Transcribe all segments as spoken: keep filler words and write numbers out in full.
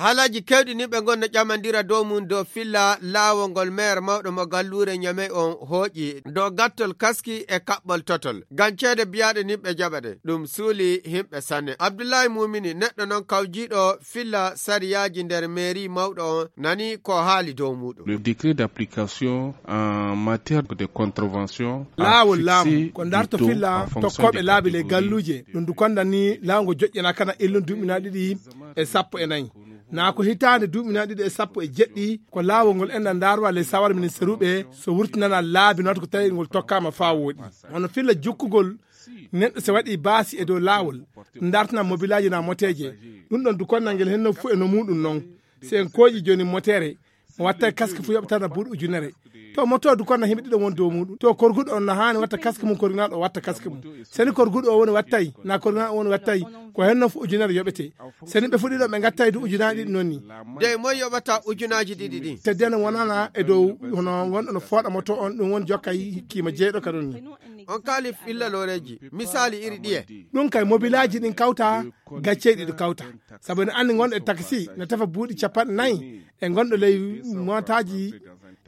Haalaaji keewɗi ni ɓe ngonno ƴamandira dow mum dow filla laawol ngol meer mawɗo mo galluure Ñamey on hooƴi dow gattol kaski e kaɓɓol totol. Ngam ceede biyaaɗe ni ɓe jaɓa ɗe. Ɗum suuli himɓe sanne. Abdullahi Mumini, neɗɗo non kawjiiɗo filla sariyaaji nder meeri mawɗo on, nani ko haali dow muuɗum. Le décret d'application en matière de contravention a Laawol laamu fixé ko ndarto du taux filla en fonction tokkooɓe des laabi ley catégories. Galluuje. Ɗum du konda ni laawol ngo joƴƴana kana illun duuɓi na ɗiɗi e sappo e nayi. Naa ko hitaande duuɓi na ɗiɗi e sappo e jeɗɗi ko laawol ngol enɗan ndaarwa ley sawara ministeruɓe so wurtinana laabi noon ko tawi ngol tokkaama faa wooɗi. Hono filla jukkugol neɗɗo so waɗi baasi e dow laawol, ndartana mobilaaji na moteeje. Ɗum ɗon du konnal ngel henno fu e no muuɗum noon. Si en kooƴi jooni moteere, mo wattay kaski fu yoɓatana buuɗi ujunere. To moto du konnal himɓe ɗiɗo won dow muuɗum. To korguɗo on na haani watta kaski mum, korgunaɗo o watta kaski mum. Seni korguɗo o woni wattay, na korgunaɗo o woni wattay, ko hen noon fu ujunere yoɓete. Seni ɓe fu ɗiɗo ɓe ngattay du ujunaaji ɗiɗi noon ni. Dey moy yoɓata ujunaaji ɗiɗi ɗin? Teddene wonana e dow hono wonɗo no fooɗa moto on, ɗum woni jokkay kiima jeeɗo ka ɗon ni. On kaali filla looreeji, misaali iri ɗiye. Ɗum kay mobilaaji ɗin kawta, gaccee ɗiɗo kawta. Sabu ene anndi ngonɗo e taksi, no tefa buuɗi capanɗe nayi, e ngonɗo ley mootaaji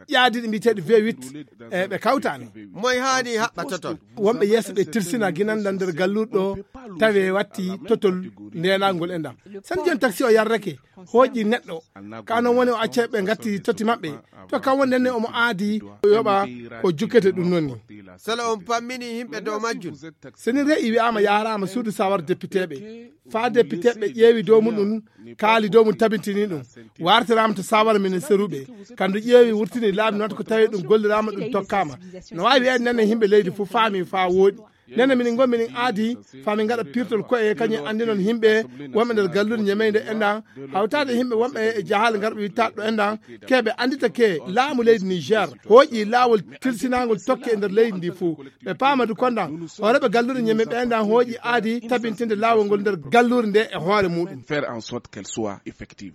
ƴaadiiɗi mbiyeteeɗi V huit, e ɓe kawtaani. Moy haani haɓɓa totol? Wonɓe yeeso ɓe tirsina ginan ɗan nder galluɗo, tawi watti totol ndenagol e ndan. Sen jooni taksi o yarrake, hooƴi neɗɗo, ka non woni o acca ɓe ngatti totti maɓɓe. To kan woni nden ne omo aadi o yoɓa ko jukkete ɗum noon ni. Sala on pammini yimɓe dow majjum. Seni re'i wi'aama yaaraama suudu sawar depiteeɓe. Faa depiteeɓe ƴeewi dow muɗum, kaali dow mum tabintini ɗum. Wartiraama to sawar minen seruɓe. Kandu ƴeewi wurtini laabi noon ko tawi ɗum golliraama ɗum tokkaama. No waawi wi'eede nden ne yimɓe leydi fof faami faa wooɗi. Nden ne minin ngon minin aadi faa min ngaɗa pirtol koye kañum anndi noon yimɓe wonɓe nder gallude ñemeynde enɗan hawtaade yimɓe wonɓe e jahaale ngarɓe wittaɗo enɗan keɓe anndita ke laamu leydi Niger hooƴi laawol tilsinaangol tokke e nder leydi ndi fof. Ɓe paama du kondan hooreɓe gallude ñeme ɓe enɗan hooƴi aadi tabintinde laawol ngol nder galluure nde e hoore muɗum. Faire en sorte qu'elle soit effective.